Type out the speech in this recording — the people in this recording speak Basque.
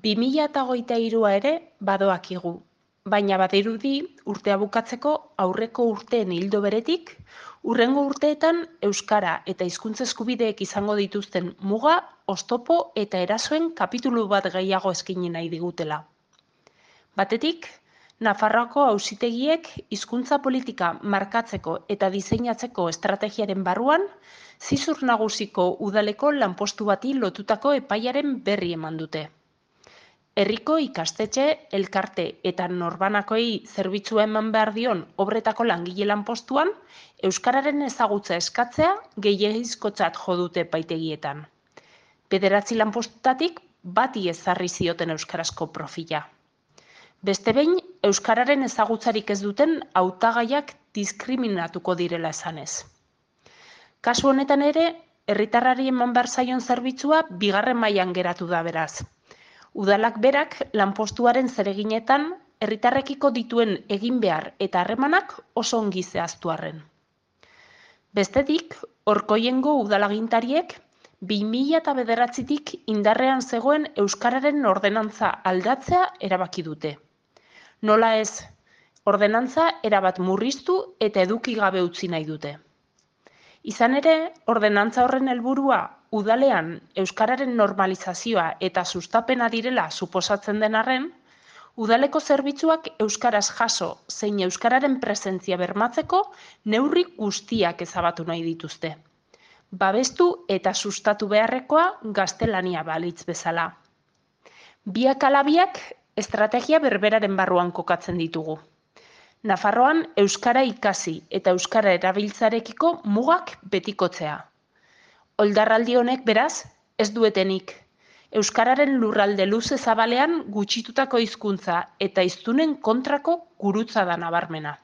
2023 ere badoakigu, baina badirudi urtea bukatzeko aurreko urteen ildo beretik, hurrengo urteetan euskara eta hizkuntza eskubideek izango dituzten muga, oztopo eta erasoen kapitulu bat gehiago eskaini nahi digutela. Batetik, Nafarroako auzitegiek hizkuntza politika markatzeko eta diseinatzeko estrategiaren barruan, Zizur Nagusiko udaleko lanpostu bati lotutako epaiaren berri eman dute. Herriko ikastetxe, elkarte eta norbanakoei zerbitzua eman behar dion obretako langile lanpostuan, euskararen ezagutza eskatzea gehiegizkotzat jo dute epaitegietan. 9 lanpostutatik bati ezarri zioten euskarazko profila. Beste behin, euskararen ezagutzarik ez duten hautagaiak diskriminatuko direla esanez. Kasu honetan ere, herritarrari eman behar zaion zerbitzua bigarren mailan geratu da beraz. Udalak berak lanpostuaren zereginetan herritarrekiko dituen egin behar eta harremanak oso ongi zehaztu arren. Bestetik, Orkoiengo udalagintariek 2009tik indarrean zegoen euskararen ordenantza aldatzea erabaki dute. Nola ez, ordenantza erabat murriztu eta eduki gabe utzi nahi dute. Izan ere, ordenantza horren helburua udalean euskararen normalizazioa eta sustapena direla suposatzen den arren, udaleko zerbitzuak euskaraz jaso zein euskararen presentzia bermatzeko neurri guztiak ezabatu nahi dituzte. Babestu eta sustatu beharrekoa gaztelania balitz bezala. Biak ala biak estrategia berberaren barruan kokatzen ditugu. Nafarroan euskara ikasi eta euskara erabiltzarekiko mugak betikotzea. Oldarraldi honek beraz, ez duetenik. Euskararen lurralde luze zabalean gutxitutako hizkuntza eta hiztunen kontrako gurutza da nabarmena.